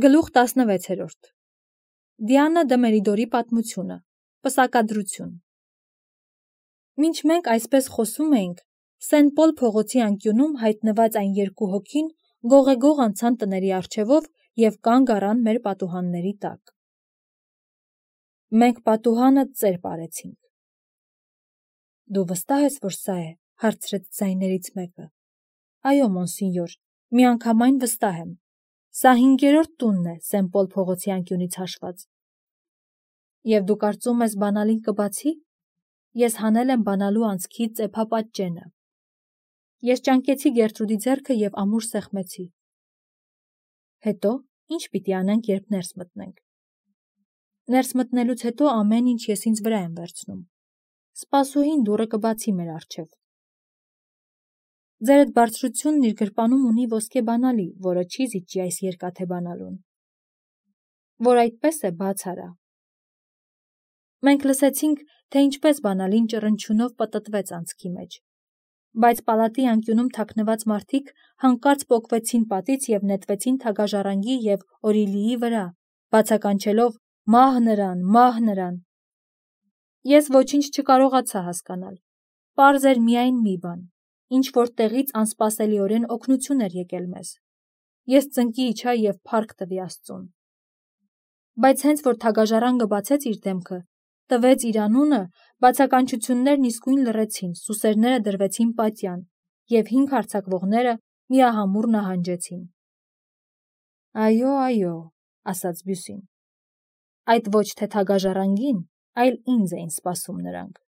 Գլուխ 16 Դիանա Դմերիդորի պատմությունը Պսակադրություն Մինչ մենք այսպես խոսում էինք, Սեն Պոլ փողոցի անկյունում հայտնված այն երկու հոգին գողեգող անցան տների առջևով և կանգ առան մեր պատուհանների տակ։ Մենք պատուհանը ծեր պարեցինք։ Դու վստահ ես, որ սա է, հարցրեց ձայներից մեկը։ Այո, մոնսինյոր, միանգամայն վստահ եմ։ Սա 5-րդ տունն է Սեն Պոլ փողոցի անկյունից հաշված։ Եվ դու կարծում ես բանալին կբացի։ Ես հանել եմ բանալու անցքի ծեփապատճենը։ Ես ճանկեցի Գերտրուդի ձեռքը և ամուր սեղմեցի։ Հետո ինչ պիտի անենք, երբ ներս մտնենք։ Ներս մտնելուց հետո ամեն ինչ ես ինձ վրա եմ վերցնում։ Սպասուհին դուռը կբացի մեր առջև։ Ձերդ բարձրությունն իր գրպանում ունի ոսկե բանալի, որը չի զիջի այս երկաթե բանալուն։ Որ այդպես է, բաց արա։ Մենք լսեցինք, թե ինչպես բանալին ճռնչյունով պտտվեց անցքի մեջ։ Բայց պալատի անկյունում թաքնված մարդիկ հանկարծ պոկվեցին պատից և նետվեցին թագաժառանգի և Օրիլիի վրա, բացականչելով «Մահ նրան, մահ նրան»։ Ես ոչինչ չկարողացա հասկանալ։ Պարզ էր միայն մի բան, ինչ-որ տեղից անսպասելիորեն օգնություն էր եկել մեզ։ Ես ծնկի իջա և փառք տվի Աստծուն։ Բայց հենց որ թագաժառանգը բացեց իր դեմքը, տվեց իր անունը, բացականչություններն իսկույն լռեցին, սուսերները դրվեցին պատյան, և 5 հարձակվողները միահամուռ նահանջեցին։ Այո, այո, ասաց Բյուսին։ Այդ ոչ թե թագաժառանգին, այլ ինձ էին սպասում նրանք։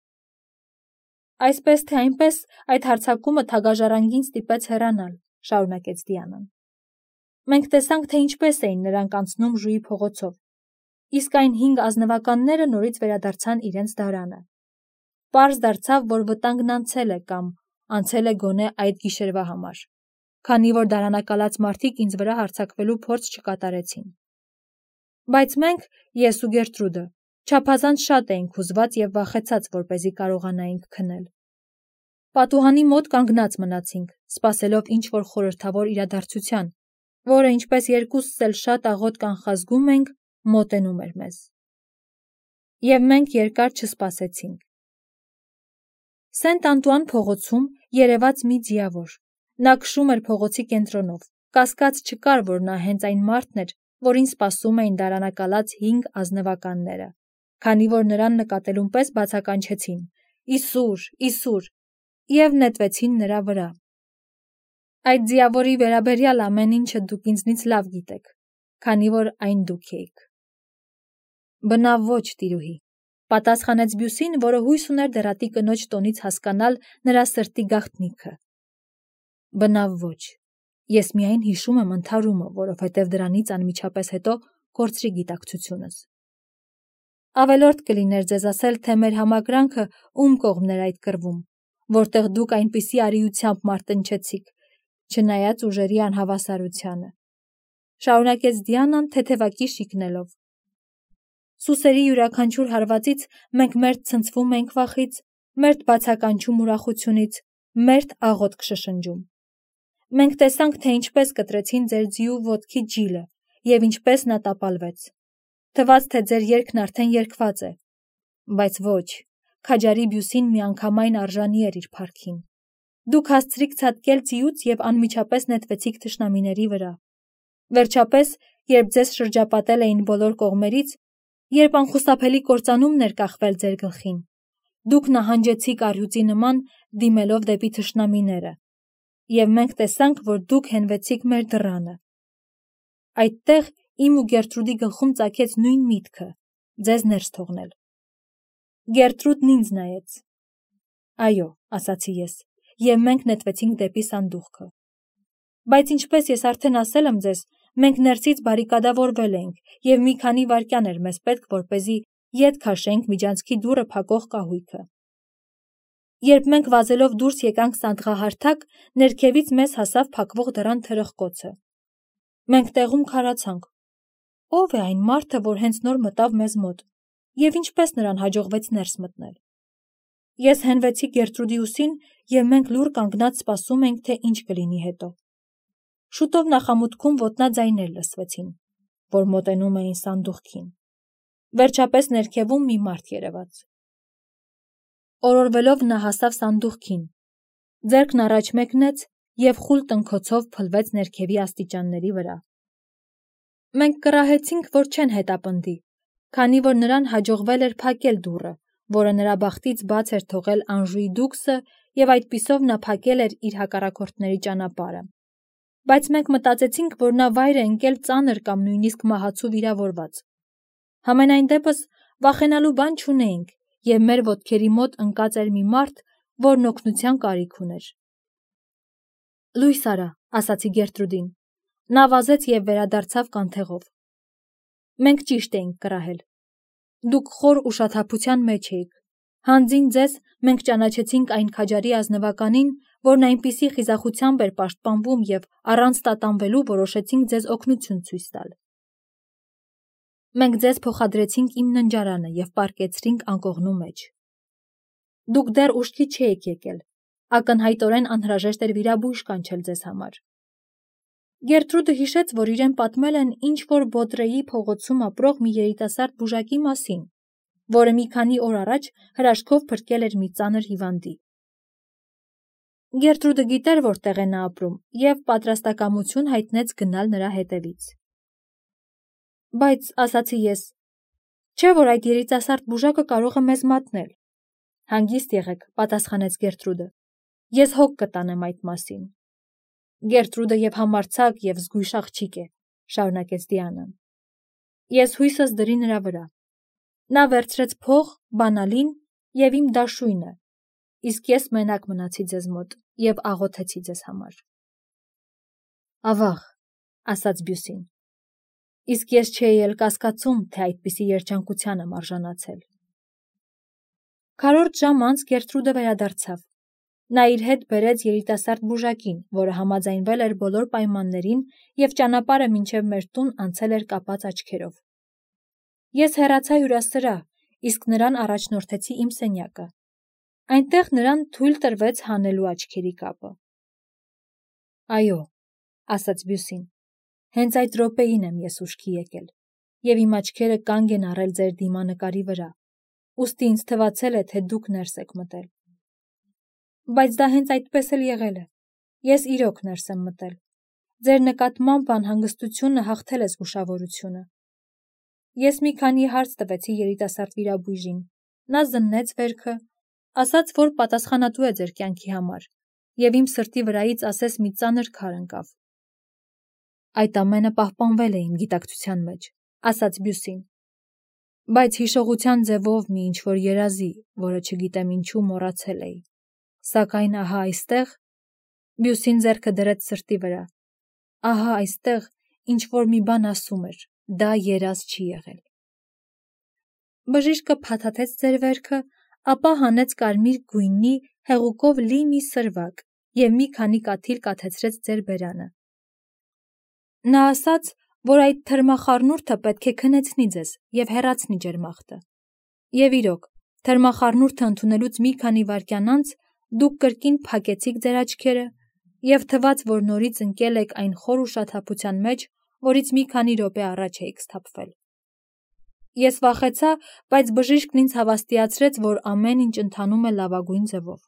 Այսպես թե այնպես այդ հարձակումը թագաժառանգին ստիպեց հեռանալ, շարունակեց Դիանան։ Մենք տեսանք, թե ինչպես էին նրանք անցնում Ժուի փողոցով, իսկ այն 5 ազնվականները նորից վերադարձան իրենց դարանը։ Պարզ դարձավ, որ վտանգն անցել է կամ անցել է գոնե այդ գիշերվա համար, քանի որ դարանակալած մարդիկ ինձ վրա հարձակվելու փորձ չկատարեցին։ Բայց մենք, ես ու Գերտրուդը, չափազանց շատ էինք հուզված և վախեցած, որպեսզի կարողանայինք քնել։ Պատուհանի մոտ կանգնած մնացինք, սպասելով ինչ-որ խորհրդավոր իրադարձության, որը, ինչպես երկուսս էլ շատ աղոտ կանխազգում էինք, մոտենում էր մեզ։ Եվ մենք երկար չսպասեցինք։ Սենտ Անտուան փողոցում երևաց մի ձիավոր։ Նա քշում էր փողոցի կենտրոնով, կասկած չկար, որ նա հենց այն մարդն էր, որին սպասում էին դարանակալած 5 ազնվականները, քանի որ նրան նկատելուն պես բացականչեցին. «Իսուր, Իսուր» և նետվեցին նրա վրա։ Այդ ձիավորի վերաբերյալ ամեն ինչը դուք ինձնից լավ գիտեք, քանի որ այն դուք էիք։ Բնավ ոչ, տիրուհի, պատասխանեց Բյուսին, որը հույս ուներ դեռատի կնոջ տոնից հասկանալ նրա սրտի գաղտնիքը։ Բնավ ոչ, ես միայն հիշում եմ ընդհարումը, որովհետև դրանից անմիջապես հետո կորցրի գիտակցությունս։ Ավելորդ կլիներ ձեզ ասել, թե մեր համակրանքը ում կողմն էր այդ կռվում, որտեղ դուք այնպիսի արիությամբ մարտնչեցիք, չնայած ուժերի անհավասարությանը, շարունակեց Դիանան թեթևակի շիկնելով։ Սուսերի յուրաքանչյուր հարվածից մենք մերթ ցնցվում ենք վախից, մերթ բացականչում ուրախությունից, մերթ աղոտ կշշնջում։ Մենք տեսանք, թե ինչպես կտրեցին ձեր ձիու ոտքի ջիլը և ինչպես նա տապալվեց։ Թվաց, թե ձեր երգն արդեն երգված է, բայց ոչ, քաջարի Բյուսին միանգամայն արժանի էր իր փառքին։ Դուք հասցրիք ցատկել ձիուց և անմիջապես նետվեցիք թշնամիների վրա։ Վերջապես, երբ ձեզ շրջապատել էին բոլոր կողմերից, երբ անխուսափելի կործանումն էր կախվել ձեր գլխին, դուք նահանջեցիք առյուծի նման, դիմելով դեպի թշնամիները, և մենք տեսանք, որ դուք հենվեցիք մեր դռանը։ Այդտեղ իմ ու Գերտրուդի գլխում ծագեց նույն միտքը՝ ձեզ ներս թողնել։ Գերտրուդն ինձ նայեց։ Այո, ասացի ես, և մենք նետվեցինք դեպի սանդուղքը։ Բայց ինչպես ես արդեն ասել եմ ձեզ, մենք ներսից բարիկադավորվել էինք, և մի քանի վայրկյան էր մեզ պետք, որպեսզի ետ քաշենք միջանցքի դուռը փակող կահույքը։ Երբ մենք վազելով դուրս եկանք սանդղահարթակ, ներքևից մեզ հասավ փակվող դռան թրխկոցը։ Մենք տեղում քարացանք. ո՞վ է այն մարդը, որ հենց նոր մտավ մեզ մոտ, և ինչպես նրան հաջողվեց ներս մտնել։ Ես հենվեցի Գերտրուդի ուսին, և մենք լուռ կանգնած սպասում էինք, թե ինչ կլինի հետո։ Շուտով նախամուտքում ոտնաձայներ լսվեցին։ որ մոտենում էին սանդուղքին։ Վերջապես ներքևում մի մարդ երևաց։ Օրորվելով նա հասավ սանդուղքին, ձեռքն առաջ մեկնեց և խուլ տնքոցով փլվեց ներքևի աստիճանների վրա։ Մենք կռահեցինք, որ չեն հետապնդի, քանի որ նրան հաջողվել էր փակել դուռը, որը նրա բախտից բաց էր թողել Անժուի դուքսը, և այդպիսով նա փակել էր իր հակառակորդների ճանապարհը։ Բայց մենք մտածեցինք, որ նա վայր է ընկել ծանր կամ նույնիսկ մահացու վիրավորված։ Համենայն դեպս վախենալու բան չունեինք, և մեր ոտքերի մոտ ընկած էր մի մարդ, որն օգնության կարիք ուներ։ Լույս արա, ասացի Գերտրուդին։ Նա վազեց և վերադարձավ կանթեղով։ Մենք ճիշտ էինք կռահել։ Դուք խոր ուշաթափության մեջ էիք։ Հանձին ձեզ մենք ճանաչեցինք այն քաջարի ազնվականին, որն այնպիսի խիզախությամբ էր պաշտպանվում և առանց տատանվելու որոշեցինք ձեզ օգնություն ցույց տալ։ Մենք ձեզ փոխադրեցինք իմ ննջարանը և պառկեցրինք անկողնու մեջ։ Դուք դեռ ուշքի չէիք եկել։ Ակնհայտորեն անհրաժեշտ էր վիրաբույժ կանչել ձեզ համար։ Գերտրուդը հիշեց, որ իրեն պատմել են ինչ-որ Բոտրեի փողոցում ապրող մի երիտասարդ բուժակի մասին, որը մի քանի օր առաջ հրաշքով փրկել էր մի ծանր հիվանդի։ Գերտրուդը գիտեր, որտեղ է նա ապրում, և պատրաստակամություն հայտնեց գնալ նրա հետևից։ Բայց, ասացի ես, չէ՞ որ այդ երիտասարդ բուժակը կարող է մեզ մատնել։ Հանգիստ եղեք, պատասխանեց Գերտրուդը։ Ես հոգ կտանեմ այդ մասին։ Գերտրուդը և համարձակ և զգույշ աղջիկ է, շարունակեց Դիանան։ Ես հույսս դրի նրա վրա։ Նա վերցրեց փող, բանալին և իմ դաշույնը, իսկ ես մենակ մնացի ձեզ մոտ և աղոթեցի ձեզ համար։ Ավաղ, ասաց Բյուսին։ Իսկ ես չէի էլ կասկածում, թե այդպիսի երջանկության եմ արժանացել։ Քառորդ ժամ անց Գերտրուդը վերադարձավ։ Նա իր հետ բերեց երիտասարդ բուժակին, որը համաձայնվել էր բոլոր պայմաններին և ճանապարհը մինչև մեր տուն անցել էր կապած աչքերով։ Ես հեռացա հյուրասրահ, իսկ նրան առաջնորդեցի իմ սենյակը։ Այնտեղ նրան թույլ տրվեց հանելու աչքերի կապը։ Այո, ասաց Բյուսին, հենց այդ րոպեին եմ ես ուշքի եկել, և իմ աչքերը կանգ են առել ձեր դիմանկարի վրա, ուստի ինձ թվացել է, թե դուք ներս եք մտել։ Բայց դա հենց այդպես էլ եղել է։ Ես իրոք ներս եմ մտել։ Ձեր նկատմամբ անհանգստությունը հաղթել է զգուշավորությունը։ Ես մի քանի հարց տվեցի երիտասարդ վիրաբույժին։ Նա զննեց վերքը, ասաց, որ պատասխանատու է ձեր կյանքի համար, և իմ սրտի վրայից ասես մի ծանր քար ընկավ։ Այդ ամենը պահպանվել է իմ գիտակցության մեջ, ասաց Բյուսին։ Բայց հիշողության ձևով մի ինչ-որ երազի, որը չգիտեմ ինչու մոռացել էի։ Սակայն ահա այստեղ, Բյուսին ձեռքը դրեց սրտի վրա, ահա այստեղ ինչ-որ մի բան ասում էր, դա երազ չի եղել։ Բժիշկը փաթաթեց ձեր վերքը, ապա հանեց կարմիր գույնի հեղուկով լի մի սրվակ և մի քանի կաթիլ կաթեցրեց ձեր բերանը։ Նա ասաց, որ այդ թրմախառնուրդը պետք է քնեցնի ձեզ և հեռացնի ջերմախտը։ Եվ իրոք, թրմախառնուրդը ընդունելուց մի քանի վայրկյան անց դուք կրկին փակեցիք ձեր աչքերը և թվաց, որ նորից ընկել եք այն խոր ուշաթափության մեջ, որից մի քանի րոպե առաջ էիք սթափվել։ Ես վախեցա, բայց բժիշկն ինձ հավաստիացրեց, որ ամեն ինչ ընթանում է լավագույն ձևով։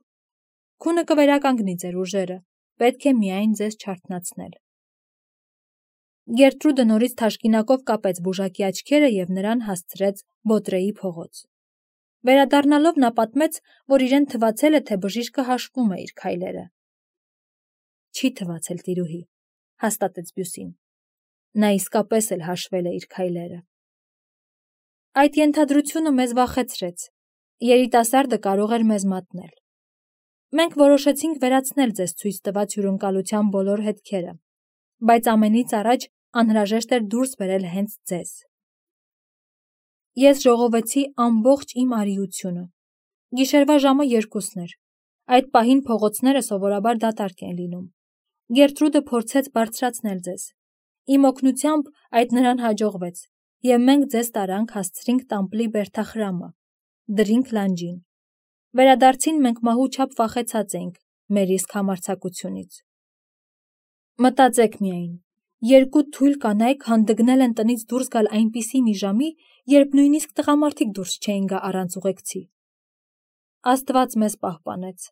Քունը կվերականգնի ձեր ուժերը, պետք է միայն ձեզ չարթնացնել։ Գերտրուդը նորից թաշկինակով կապեց բուժակի աչքերը և նրան հասցրեց Բոտրեի փողոց։ Վերադառնալով նա պատմեց, որ իրեն թվացել է, թե բժիշկը հաշվում է իր քայլերը։ Չի թվացել, տիրուհի, հաստատեց Բյուսին։ Նա իսկապես էլ հաշվել է իր քայլերը։ Այդ ենթադրությունը մեզ վախեցրեց։ Երիտասարդը կարող էր մեզ մատնել։ Մենք որոշեցինք վերացնել ձեզ ցույց տված հյուրընկալության բոլոր հետքերը, բայց ամենից առաջ անհրաժեշտ էր դուրս բերել հենց ձեզ։ Ես ժողովեցի ամբողջ իմ արիությունը։ Գիշերվա ժամը 2-ն էր։ Այդ պահին փողոցները սովորաբար դատարկ են լինում։ Գերտրուդը փորձեց բարձրացնել ձեզ։ Իմ օգնությամբ այդ նրան հաջողվեց, և մենք ձեզ տարանք հասցրինք Տամպլի բերդախրամը, դրինք լանջին։ Վերադարձին մենք մահու չափ վախեցած էինք մեր իսկ համարձակությունից։ Մտածեք միայն, Երկու թույլ կանայք հանդգնել են տնից դուրս գալ այնպիսի մի ժամի, երբ նույնիսկ տղամարդիկ դուրս չէին գա առանց ուղեկցի։ Աստված մեզ պահպանեց։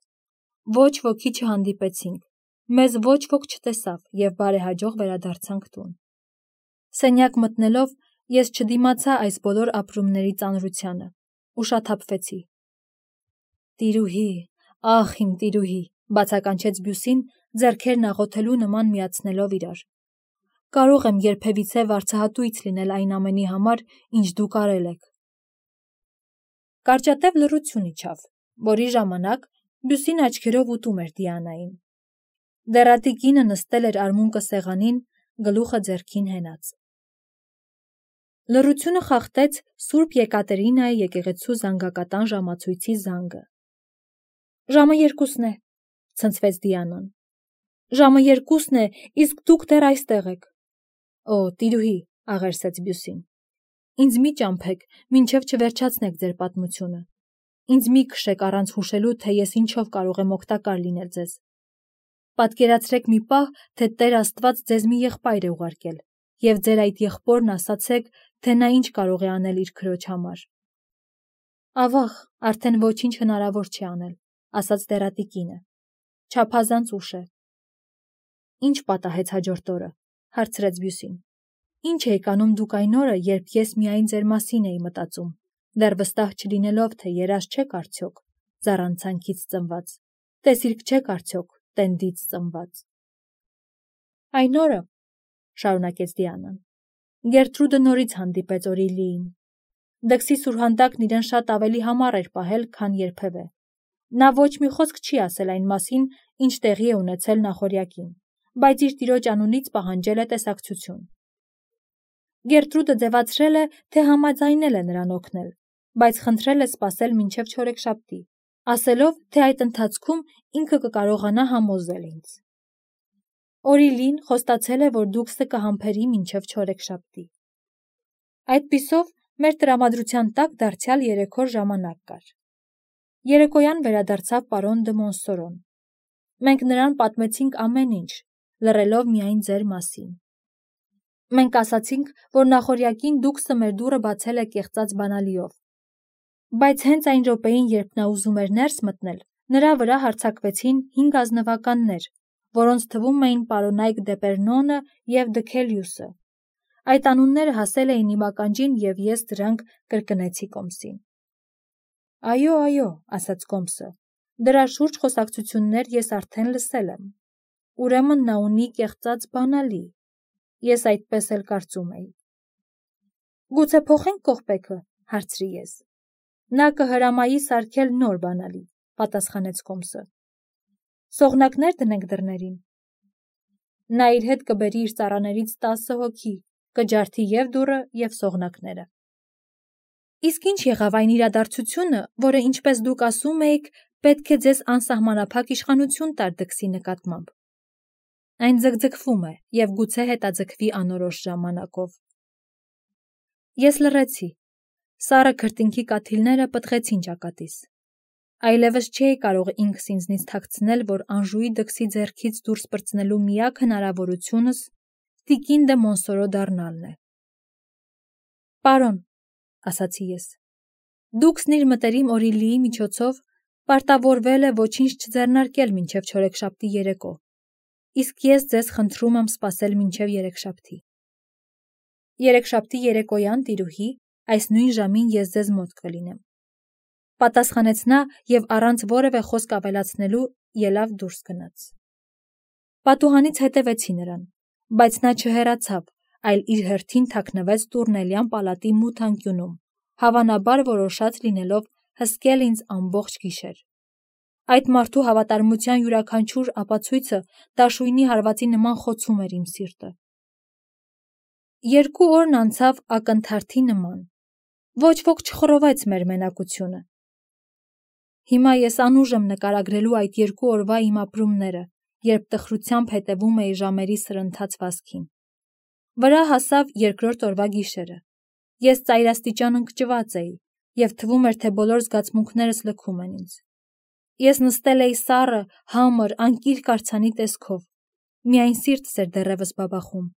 Ոչ ոքի չհանդիպեցինք, մեզ ոչ ոք չտեսավ և բարեհաջող վերադարձանք տուն։ Սենյակ մտնելով ես չդիմացա այս բոլոր ապրումների ծանրությանը, ուշաթափվեցի։ Տիրուհի, ախ իմ տիրուհի, բացականչեց Բյուսին, ձեռքերն աղոթելու նման միացնելով իրար։ Կարող եմ երբևիցե վարձահատույց լինել այն ամենի համար, ինչ դուք արել եք։ Կարճատև լռություն իջավ, որի ժամանակ Բյուսին աչքերով ուտում էր Դիանային։ Դեռատի կինը նստել էր արմունկը սեղանին, գլուխը ձեռքին հենած։ Լռությունը խախտեց Սուրբ Եկատերինայի եկեղեցու զանգակատան ժամացույցի զանգը։ Ժամը 2-ն է, ցնցվեց Դիանան։ Ժամը 2-ն է, իսկ դուք դեռ այստեղ եք։ Օ, տիրուհի, աղերսեց Բյուսին։ Ինձ մի ճամփեք, մինչև չվերջացնեք ձեր պատմությունը։ Ինձ մի քշեք առանց հուշելու, թե ես ինչով կարող եմ օգտակար լինել ձեզ։ Պատկերացրեք մի պահ, թե Տեր Աստված ձեզ մի եղբայր է ուղարկել, և ձեր այդ եղբորն ասացեք, թե նա ինչ կարող է անել իր քրոջ համար։ Ավաղ, արդեն ոչինչ հնարավոր չի անել, ասաց դեռատի կինը։ Չափազանց ուշ է։ Ինչ պատահեց հաջորդ օրը, հարցրեց Բյուսին։ Ինչ էիք անում դուք այն օրը, երբ ես միայն ձեր մասին էի մտածում, դեռ վստահ չլինելով, թե երազ չեք արդյոք, զառանցանքից ծնված, տեսիլք չեք արդյոք, տենդից ծնված։ Այն օրը, շարունակեց Դիանան, Գերտրուդը նորից հանդիպեց Օրիլիին։ Դքսի սուրհանդակն իրեն շատ ավելի համառ էր պահել, քան երբևէ։ Նա ոչ մի խոսք չի ասել այն մասին, ինչ տեղի է ունեցել նախօրյակին, բայց իր տիրոջ անունից պահանջել է տեսակցություն։ Գերտրուդը ձևացրել է, թե համաձայնել է նրան օգնել, բայց խնդրել է սպասել մինչև չորեքշաբթի, ասելով, թե այդ ընթացքում ինքը կկարողանա համոզել ինձ։ Օրիլին խոստացել է, որ Դուքսը կհամբերի մինչև չորեքշաբթի։ Այդպիսով մեր տրամադրության տակ դարձյալ 3 օր ժամանակ կար։ Երեկոյան վերադարձավ պարոն դը Մոնսորոն։ Մենք նրան պատմեցինք ամեն ինչ, լռելով միայն ձեր մասին։ Մենք ասացինք, որ նախօրյակին Դուքսը մեր դուռը բացել է կեղծած բանալիով։ Բայց հենց այն րոպեին, երբ նա ուզում էր ներս մտնել, նրա վրա հարձակվեցին 5 ազնվականներ, որոնց թվում էին պարոնայք Դեպերնոնը և Դքելիուսը։ Այդ անունները հասել էին իմ ականջին, և ես դրանք կրկնեցի Կոմսին։ Այո, ասաց Կոմսը, դրա շուրջ խոսակցություններ ես արդեն լսել եմ։ Ուրեմն նա ունի կեղծած բանալի։ Ես այդպես էլ կարծում էի։ Գուցե փոխենք կողպեքը, հարցրի ես։ Նա կհրամայի սարքել նոր բանալի, պատասխանեց Կոմսը։ Սողնակներ դնենք դռներին։ Նա իր հետ կբերի իր ծառաներից 10 հոգի, կջարդի և դուռը, և սողնակները։ Իսկ ինչ եղավ այն իրադարձությունը, որը, ինչպես դուք ասում էիք, պետք է ձեզ անսահմանափակ իշխանություն տար Դքսի նկատմամբ։ Այն ձգձգվում է և գուցե հետաձգվի անորոշ ժամանակով։ Ես լռեցի։ Սառը քրտինքի կաթիլները պտղեցին ճակատիս։ Այլևս չէի կարող ինքս ինձնից թաքցնել, որ Անժուի Դքսի ձեռքից դուրս պրծնելու միակ հնարավորությունս տիկին դե Մոնսորո դառնալն է։ Պարոն, ասացի ես, Դուքսն իր մտերիմ Օրիլիի միջոցով պարտավորվել է ոչինչ չձեռնարկել մինչև չորեքշաբթի երեկո, իսկ ես ձեզ խնդրում եմ սպասել մինչև երեքշաբթի։ Երեքշաբթի երեկոյան, տիրուհի, այս նույն ժամին ես ձեզ մոտ կլինեմ, պատասխանեց նա և առանց որևէ խոսք ավելացնելու ելավ դուրս գնաց։ Պատուհանից հետևեցի նրան, բայց նա չհեռացավ, այլ իր հերթին թաքնվեց Տուրնելյան պալատի մութ անկյունում, հավանաբար որոշած լինելով հսկել ինձ ամբողջ գիշեր։ Այդ մարդու հավատարմության յուրաքանչյուր ապացույցը դաշույնի հարվածի նման խոցում էր իմ սիրտը։ 2 օրն անցավ ակնթարթի նման։ Ոչ ոք չխռովեց մեր մենակությունը։ Հիմա ես անուժ եմ նկարագրելու այդ 2 օրվա իմ ապրումները, երբ տխրությամբ հետևում էի ժամերի սրընթաց վազքին։ Վրա հասավ 2-րդ օրվա գիշերը։ Ես ծայրաստիճան ընկճված էի, և թվում էր, թե բոլոր զգացմունքներս լքում են ինձ։ Ես նստել էի սառը, համր, անկիրք արձանի տեսքով։ Միայն սիրտս էր դեռևս բաբախում,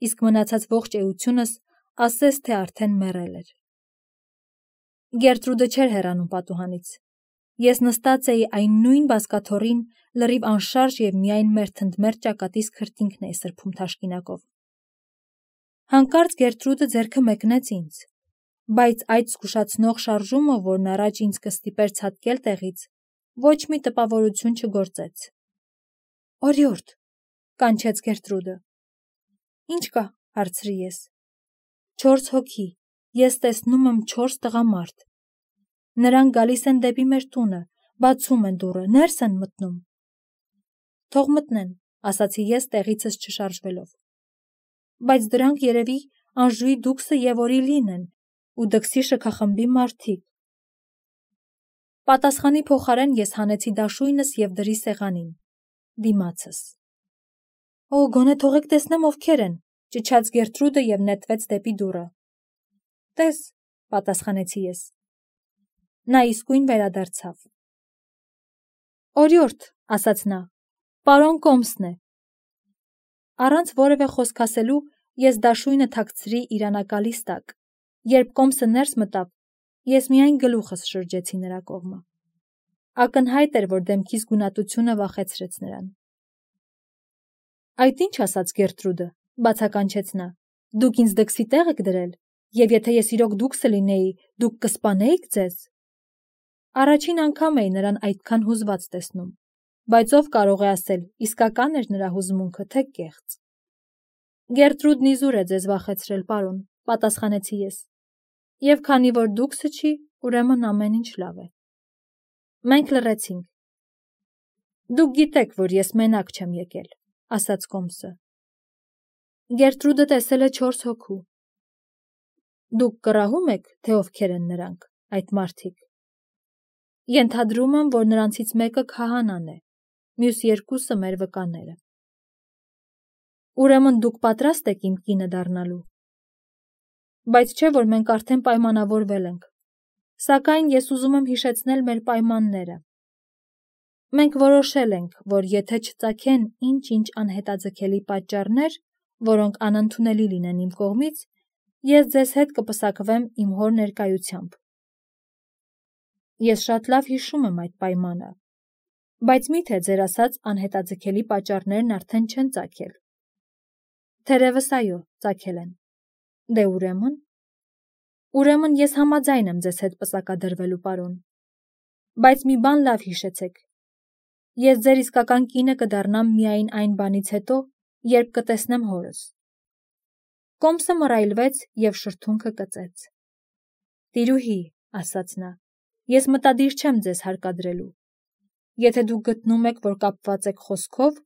իսկ մնացած ողջ էությունս ասես թե արդեն մեռել էր։ Գերտրուդը չէր հեռանում պատուհանից։ Ես նստած էի այն նույն բազկաթոռին, լրիվ անշարժ և միայն մերթընդմերթ ճակատիս քրտինքն էի սրբում թաշկինակով։ Հանկարծ Գերտրուդը ձեռքը մեկնեց ինձ, բայց այդ զգուշացնող շարժումը, որն առաջ ինձ կստիպեր ցատկել տեղից, ոչ մի տպավորություն չգործեց։ «Օրիորդ», կանչեց Գերտրուդը։ «Ինչ կա», հարցրի ես։ 4 հոգի, ես տեսնում եմ 4 տղամարդ։ Նրանք գալիս են դեպի մեր տունը, բացում են դուռը, ներս են մտնում։ «Թող մտնեն», ասացի ես տեղիցս չշարժվելով։ «Բայց դրանք երևի Անժուի դուքսը և Օրիլին են ու դքսի շքախմբի մարդիկ»։ Պատասխանի փոխարեն ես հանեցի դաշույնս և դրի սեղանին, դիմացս։ «Օ, գոնե թողեք տեսնեմ ովքեր են», ճչաց Գերտրուդը և նետվեց դեպի դուռը։ «Տես», պատասխանեցի ես։ Նա իսկույն վերադարձավ։ «Օրիորդ», ասաց նա, «պարոն Կոմսն է»։ Առանց որևէ խոսք ասելու ես դաշույնը թաքցրի իրանակալիս տակ։ Երբ Կոմսը ներս մտավ, ես միայն գլուխս շրջեցի նրա կողմը։ Ակնհայտ էր, որ դեմքիս գունատությունը վախեցրեց նրան։ «Այդ ինչ ասաց Գերտրուդը», բացականչեց նա, «դուք ինձ դքսի տեղ եք դրել, և եթե ես իրոք դուքսը լինեի, դուք կսպանեիք ձեզ»։ Առաջին անգամ էի նրան այդքան հուզված տեսնում, բայց ով կարող է ասել, իսկական էր նրա հուզմունքը, թե կեղծ։ «Գերտրուդն իզուր է ձեզ վախեցրել, պարոն», պատասխանեցի ես, «և քանի որ դուքսը չի, ուրեմն ամեն ինչ լավ է»։ Մենք լռեցինք։ «Դուք գիտեք, որ ես մենակ չեմ եկել», ասաց Կոմսը։ «Գերտրուդը տեսել է 4 հոգու»։ «Դուք կռահում եք, թե ովքեր են նրանք, այդ մարդիկ»։ «Ենթադրում եմ, որ նրանցից մեկը քահանան է, մյուս երկուսը մեր վկաները»։ «Ուրեմն դուք պատրաստ եք իմ կինը դառնալու»։ «Բայց չէ, որ մենք արդեն պայմանավորվել ենք, սակայն ես ուզում եմ հիշեցնել մեր պայմանները։ Մենք որոշել ենք, որ եթե չծագեն ինչ-ինչ անհետաձգելի պատճառներ, որոնք անընդունելի լինեն իմ կողմից, ես ձեզ հետ կպսակվեմ իմ հոր ներկայությամբ։ Ես շատ լավ հիշում եմ այդ պայմանը, բայց մի՞թե ձեր ասած անհետաձգելի պատճառներն արդեն չեն ծագել։ Թերևս այո, ծագել են։ Դե ուրեմն ես համաձայն եմ ձեզ հետ պսակադրվելու, պարոն։ Բայց մի բան լավ հիշեցեք. ես ձեր իսկական կինը կդառնամ միայն այն բանից հետո, երբ կտեսնեմ հորս։ Կոմսը մռայլվեց և շրթունքը կծեց։ «Տիրուհի», ասաց նա, «ես մտադիր չեմ ձեզ հարկադրելու։ Եթե դուք գտնում եք, որ կապված եք խոսքով,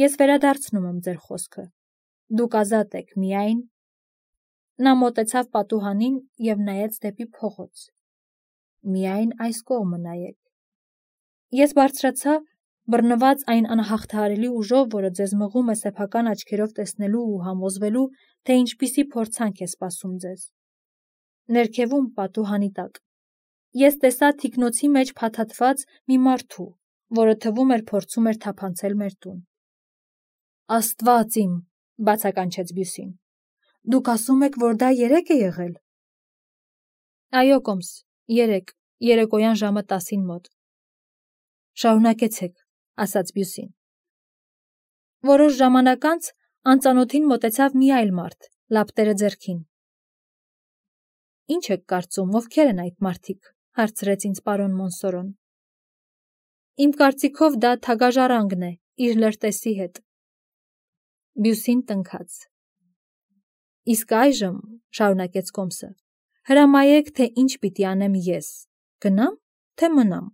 ես վերադարձնում եմ ձեր խոսքը։ Դուք ազատ եք, միայն…» Նա մոտեցավ պատուհանին և նայեց դեպի փողոց։ «Միայն այս կողմը նայեք»։ Ես բարձրացա, բռնված այն անհաղթահարելի ուժով, որը ձեզ մղում է սեփական աչքերով տեսնելու ու համոզվելու, թե ինչպիսի փորձանք է սպասում ձեզ։ Ներքևում, պատուհանի տակ, ես տեսա թիկնոցի մեջ փաթաթված մի մարդու, որը թվում էր փորձում էր թափանցել մեր տուն։ «Աստված իմ», բացականչեց Բյուսին, «դուք ասում եք, որ դա 3 է եղել»։ «Այո, Կոմս, 3, երեկոյան ժամը 10-ին մոտ»։ «Շարունակեցեք», ասաց Բյուսին։ Որոշ ժամանակ անց անծանոթին մոտեցավ մի այլ մարդ, լապտերը ձեռքին։ «Ինչ եք կարծում, ովքեր են այդ մարդիկ», հարցրեց ինձ պարոն Մոնսորոն։ «Իմ կարծիքով դա թագաժառանգն է, իր լրտեսի հետ»։ Բյուսին տնքաց։ «Իսկ այժմ», շարունակեց Կոմսը, «հրամայեք, թե ինչ պիտի անեմ ես, գնամ, թե մնամ»։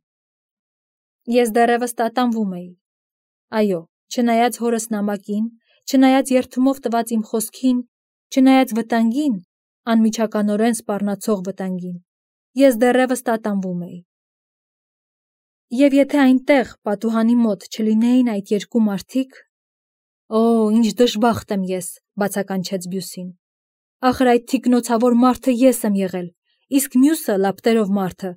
Ես դեռևս տատանվում էի։ Այո, չնայած հորս նամակին, չնայած երդումով տված իմ խոսքին, չնայած վտանգին, անմիջականորեն սպառնացող վտանգին, ես դեռևս տատանվում էի։ Եվ եթե այնտեղ, պատուհանի մոտ, չլինեին այդ 2 մարդիկ… «Օ, ինչ դժբախտ եմ ես», բացականչեց Բյուսին։ «Ախր այդ թիկնոցավոր մարդը ես եմ եղել, իսկ մյուսը լապտերով մարդը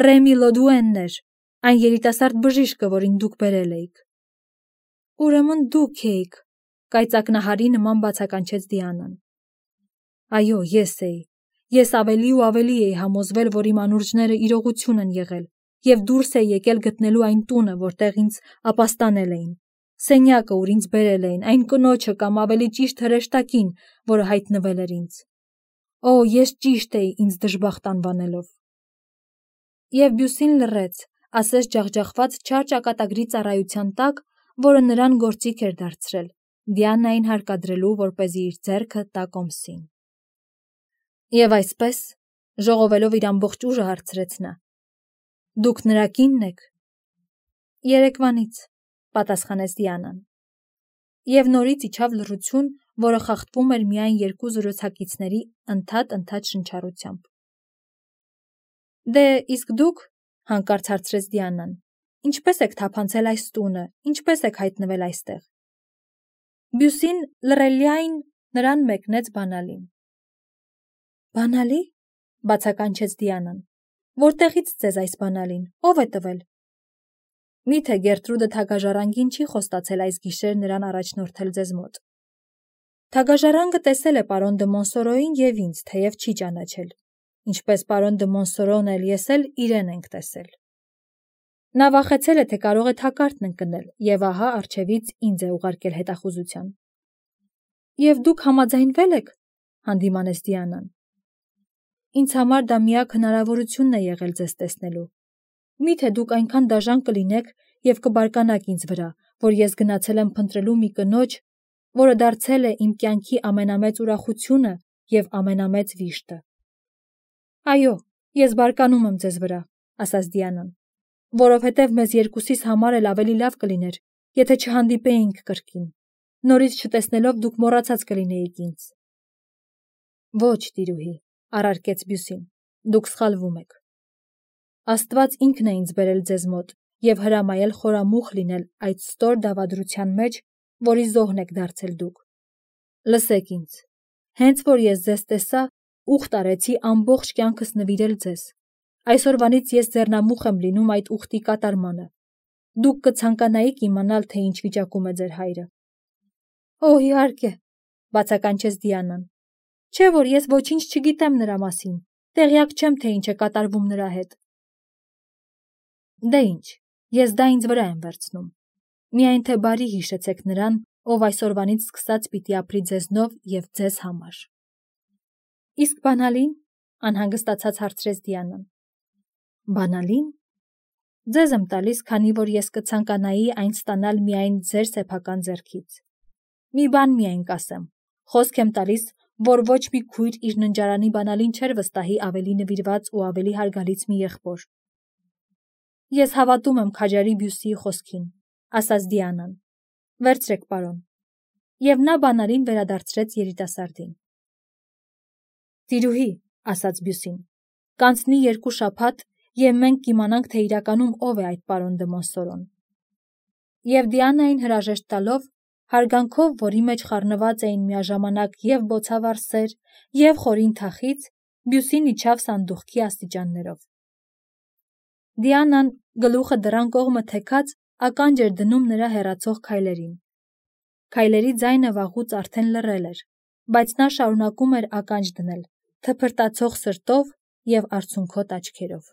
Ռեմի Լոդուենն էր, այն երիտասարդ բժիշկը, որին դուք բերել էիք»։ «Ուրեմն դուք էիք», կայծակնահարի նման բացականչեց Դիանան։ Այո, ես էի։ Ես ավելի ու ավելի էի համոզվել, որ իմ անուրջները իրողություն են եղել, և դուրս էի եկել գտնելու այն տունը, որտեղ ինձ ապաստանել էին, սենյակը, ուր ինձ բերել էին, այն կնոջը կամ ավելի ճիշտ հրեշտակին, որը հայտնվել էր ինձ։ Օ, ես ճիշտ էի ինձ դժբախտ անվանելով։ Եվ Բյուսին լռեց, ասես ջախջախված չար ճակատագրի ծառայության տակ, որը նրան գործիք էր դարձրել, Դիանային հարկադրելու, որպեսզի իր ձեռքը տա կոմսին։ Եվ այսպես, ժողովելով իր ամբողջ ուժը հարցրեց նա. Դուք նրա կինն եք։ Երեկվանից, պատասխանեց Դիանան։ Եվ նորից իջավ լռություն, որը խախտվում էր միայն երկու զրուցակիցների ընդհատ շնչառությամբ։ Դե, իսկ դուք, հանկարծ հարցրեց Դիանան, ինչպես եք թափանցել այս տունը, ինչպես եք հայտնվել այստեղ։ Բյուսին լռելիայն նրան մեկնեց բանալին։ Բանալի, բացականչեց Դիանան, որտեղից ձեզ այս բանալին, ով է տվել։ Միթե Գերտրուդը թագաժառանգին չի խոստացել այս գիշեր նրան առաջնորդել ձեզ մոտ։ Թագաժառանգը տեսել է պարոն դը Մոնսորոյին և ինձ, թեև չի ճանաչել, ինչպես պարոն դը Մոնսորոն էլ ես էլ իրեն ենք տեսել։ Նա վախեցել է, թե կարող է թակարդն ընկնել, և ահա առջևից ինձ է ուղարկել հետախուզության։ Եվ դուք համաձայնվել եք, հանդիմանեց Դիանան։ Ինձ համար դա միակ հնարավորությունն է եղել ձեզ տեսնելու։ Միթե դուք այնքան դաժան կլինեք և կբարկանաք ինձ վրա, որ ես գնացել եմ փնտրելու մի կնոջ, որը դարձել է իմ կյանքի ամենամեծ ուրախությունը և ամենամեծ վիշտը։ Այո, ես բարկանում եմ ձեզ վրա, ասաց Դիանան, որովհետև մեզ երկուսիս համար էլ ավելի լավ կլիներ, եթե չհանդիպեինք կրկին։ Նորից չտեսնելով դուք մոռացած կլինեիք ինձ։ Ոչ, տիրուհի, առարկեց Բյուսին, դուք սխալվում եք։ Աստված ինքն է ինձ բերել ձեզ մոտ և հրամայել խորամուխ լինել այդ ստոր դավադրության մեջ, որի զոհն եք դարձել դուք։ Լսեք ինձ, հենց որ ես ձեզ տեսա, ուխտ արեցի ամբողջ կյանքս նվիրել ձեզ։ Այսօրվանից ես ձեռնամուխ եմ լինում այդ ուխտի կատարմանը։ Դուք կցանկանայիք իմանալ, թե ինչ վիճակում է ձեր հայրը։ Օ, իհարկե, բացականչեց Դիանան։ Չէ՞ որ ես ոչինչ չգիտեմ նրա մասին, տեղյակ չեմ, թե ինչ է կատարվում նրա հետ։ Դե ինչ, ես դա ինձ վրա եմ վերցնում։ Միայն թե բարի հիշեցեք նրան, ով այսօրվանից սկսած պիտի ապրի ձեզնով և ձեզ համար։ Իսկ բանալին, անհանգստացած հարցրեց Դիանան։ Բանալին։ Ձեզ եմ տալիս, քանի որ ես կցանկանայի այն ստանալ միայն ձեր սեփական ձեռքից։ Մի բան միայն կասեմ, խոսք եմ տալիս, որ ոչ մի քույր իր ննջարանի բանալին չէր վստահի ավելի նվիրված ու ավելի հարգալից մի եղբոր։ Ես հավատում եմ քաջարի Բյուսիի խոսքին, ասաց Դիանան։ Վերցրեք, պարոն։ Եվ նա բանալին վերադարձրեց երիտասարդին։ Տիրուհի, ասաց Բյուսին, կանցնի 2 շաբաթ, և մենք կիմանանք, թե իրականում ով է այդ պարոն դը Մոնսորոն։ Եվ Դիանային հրաժեշտ տալով, հարգանքով, որի մեջ խառնված էին միաժամանակ և բոցավառ սեր, և խորին թախիծ, Բյուսին իջավ սանդուղքի աստիճաններով։ Դիանան, գլուխը դռան կողմը թեքած, ականջ էր դնում նրա հեռացող քայլերին։ Քայլերի ձայնը վաղուց արդեն լռել էր, բայց նա շարունակում էր ականջ դնել, թփրտացող սրտով և արցունքոտ աչքերով։